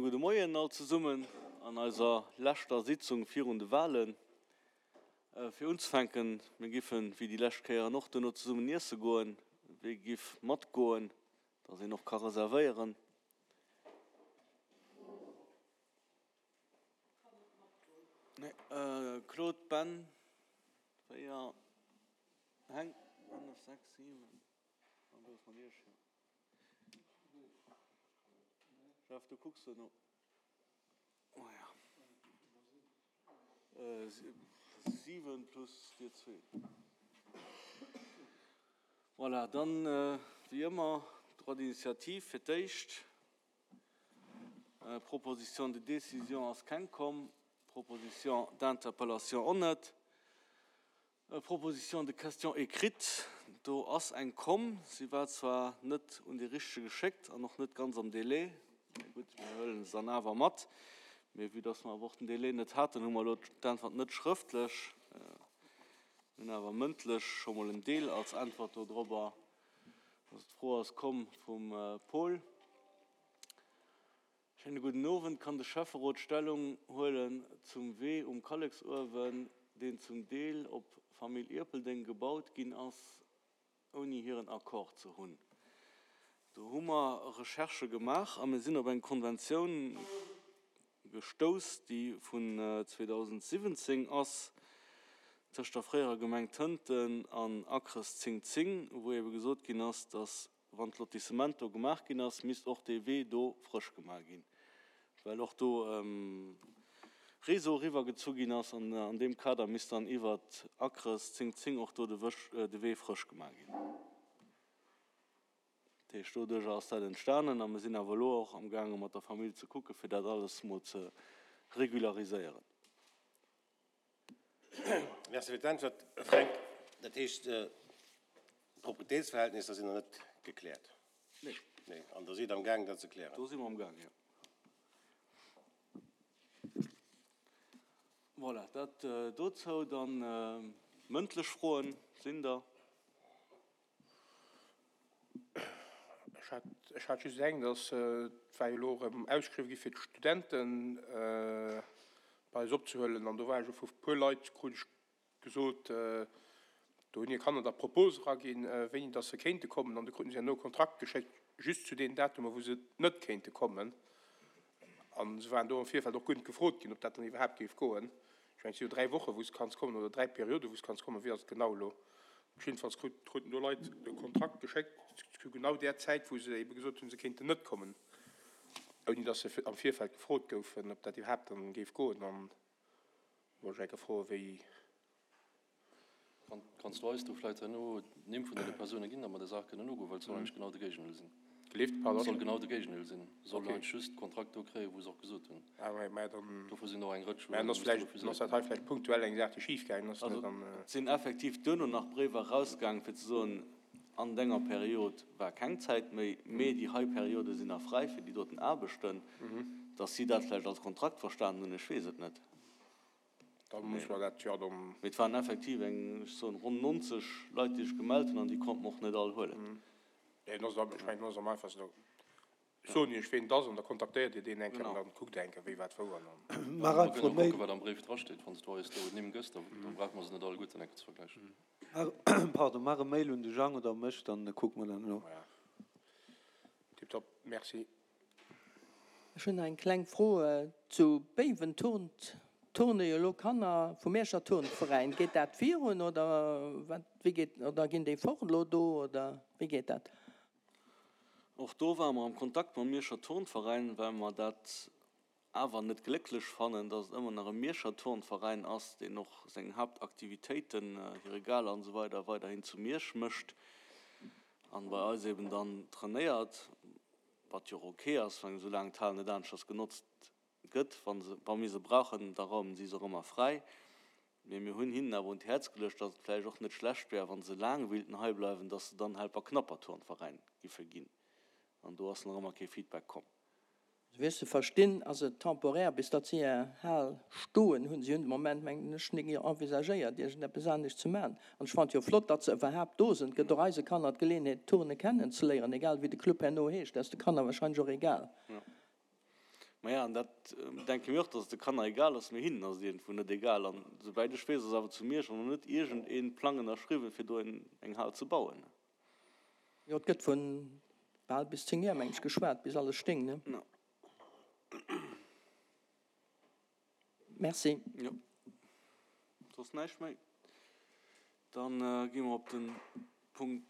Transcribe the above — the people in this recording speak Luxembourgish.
Gudde Moien all zesummen an eiser leschter Sitzung virun de Wahlen. Fir unzefänken, mir giffen, wéi déi lescht Kéieren och, duerno zesummen iesse goen. Wie giff matgoen, dass een och ka reservéieren? Claude, Ben, 4, Heng, 5, 6, 7, an do ass mat Iech, jo. Jeff, du kucks duerno. Oh ja. 7 plus dir zwee. Voilà, dann wéi ëmmer Droit d'initiative fir d'éischt. Proposition de décision ass keng komm, Proposition d'interpellation och net. Proposition de question écrite, do ass eng komm. Si war zwar net un dee Richtege geschéckt an och net ganz am Délai, mä gutt, mir huele se dann awer mat. Mee vue dass mer awer och den Délai net haten, hu mer elo d'Äntwert net schrëftlech, mir hunn awer mëndlech scho mol en Deel als Äntwert dodrobber. Also d'Fro ass komm vum Paul. Schéine gudden Owend. Kann de Schäfferot Stellung huelen zum Wee um Kalleksuewen, deen zum Deel op Famill Ierpeldeng gebaut ginn ass, ouni hiren Accord ze hunn? Do hu mer Recherchë gemaach a mir sinn op eng Konventioun gestouss, déi vun 2017 ass, tëscht der fréierer Gemeng Tënten an Acres 10 10, wou ebe gesot ginn ass, datt Wann d'Lotissement do gemaach ginn ass, misst och dee Wee do frësch gemaach ginn, well och do Réseau eriwwer gezu ginn ass. An an deem Kader misst dann iwwert Acres 10 10 och do de Wee frësch gemaach ginn. Dat heescht, doduercher ass dat entstanen a mir sinn awer elo och amgaange mat der Famill ze kucke fir dat alles mol ze regulariséieren. Merci fir d'Äntwert, Fränk. Dat heescht, d'Proprietéitsverhältnisser sinn nach net gekläert? Nee. Nee. An Der sidd amgaang, dat ze klären? Do si mer amgaang, jo. Voilà, dat dozou. Dann mëndlech Froen sinn der. Ech hat just eng, dass, et war jo elo erëm ausgeschriwwen gi fir d'Studenten bei eis opzehuelen an do war ech och vu puer Leit, krut ech gesot, do hunn hir Kanner da Propose eraginn, wéini dass se kéinte kommen an du kruten se herno e Kontrakt geschéckt just zu deenen Datumer wou se net kéinte kommen an se waren do am Virfeld och guer net gefrot ginn, ob dat dann iwwerhaapt géif goen. Ech mengen, et si jo 3 Wochen, wou s kanns kommen, oder 3 Perioden, wou s kanns kommen. Wéi ass et genau elo? Jiddefalls kruten do Leit e Kontrakt geschéckt zu genau där Zäit, wou se ebe gesot hunn, se kéinten net kommen, ouni datt se am Virfeld gefrot goufen, ob dat iwwerhaapt dann géif goen. An do wollt ech eng Kéier froen, wéi. Kanns du eis do vläit herno d'Nimm vun deene Persoune ginn, datt mer der Saach kënnen nogoen, well et soll eigentlech genau de Géigendeel sinn. Gelift, pardon? Et soll genau de Géigendeel sinn. Se sollen eigentlech just d'Kontrakt do kréien, wou se och gesot hunn. Ah ouais, mä dann. Dofir sinn och eng Rëtsch Mä dann ass vläicht, dann ass dat hei vläicht punktuell eng Saach, déi schif gaangen ass, ne? Dann. Et sinn effektiv duerno nach Bréiwer erausgaangen, fir ze soen, an denger Period war keng Zäit méi, mee déi hei Periode sinn nach fräi fir déi doten Aarbechten. Datt si dat vläicht als Kontrakt verstanen hunn, ech weess et net. Da muss mer dat jo dann. Mee et waren effektiv eng, ech soen, ronn 90 Leit, déi sech gemellt hunn, an déi konnte mer och net all huelen. Nee, dann ass et, ech mengen, dann ass et am einfachsten, da soen Iech, ween et ass, an da kontaktéiert Dir deen eng Kéier an dann kuckt Der eng Kéier, wéi, wat, wou an dann. Maach einfach e Mail. Kucken, wat am Bréif drasteet. Wann s du eis do Nimm gëss, da brauche mer se net alleguerten eng Kéier ze vergläichen. Pardon, maach e Mail un de Jang oder mech, dann kucke mer dat no. Voilà. Tiptop, merci. Ech hunn nach eng kleng Fro, Zu Béiwen turnt turne jo elo Kanner vum Mierscher Turnveräin. Geet dat virun oder wat, wéi geet, oder ginn déi fort elo do oder wéi geet dat? Och do ware mer am Kontakt mam Mierscher Turnveräin, well mer dat awer net glécklech fannen, dass et ëmmer nach e Mierscher Turnveräin ass, deen och seng Haaptaktivitéiten, hire Gala an esou weider weiderhin zu Miersch mécht an bei eis eben dann trainéiert. Wat jo och ok ass, well soulaang d'Hal net aneschters genotzt gëtt, wa se, wa mir se brauchen, da raumen si se och ëmmer fräi. Mee mir hunn hinnen awer un d'Häerz geluecht, datt et vläicht och net schlecht wär, wa se laang wéilten hei bleiwen, datt se dann Helperknapper Turnveräin giffe ginn. An do ass nach ëmmer kee Feedback komm. Esou wéi ech se verstinn, ass et temporaire, bis datt si hir Hal stoen hunn. Si hunn de Moment, mengen ech, nik envisagéiert, iergendeppes anescht ze maachen. An ech fannen et jo flott, datt se iwwerhaapt do sinn. Et gëtt och eise Kanner d'Geleeënheet, Turne kennen ze léieren, egal wéi de Club herno heescht. Dat ass de Kanner wahrscheinlech och egal. Jo. Maja, an dat denke mir och, dass et de Kanner egal ass, mee hinnen ass et iergendwou net egal. An souwäit ech weess, ass awer zu Miersch och nach net iergend ee Plang ënnerschriwwen, fir do eng Hal ze bauen. Jo, et gëtt vu bal bis 10 Joer, meng ech, geschwat, bis alles stéing, ne? Jo. Merci. Jo. Soss näischt méi? Dann gi mer op de Punkt.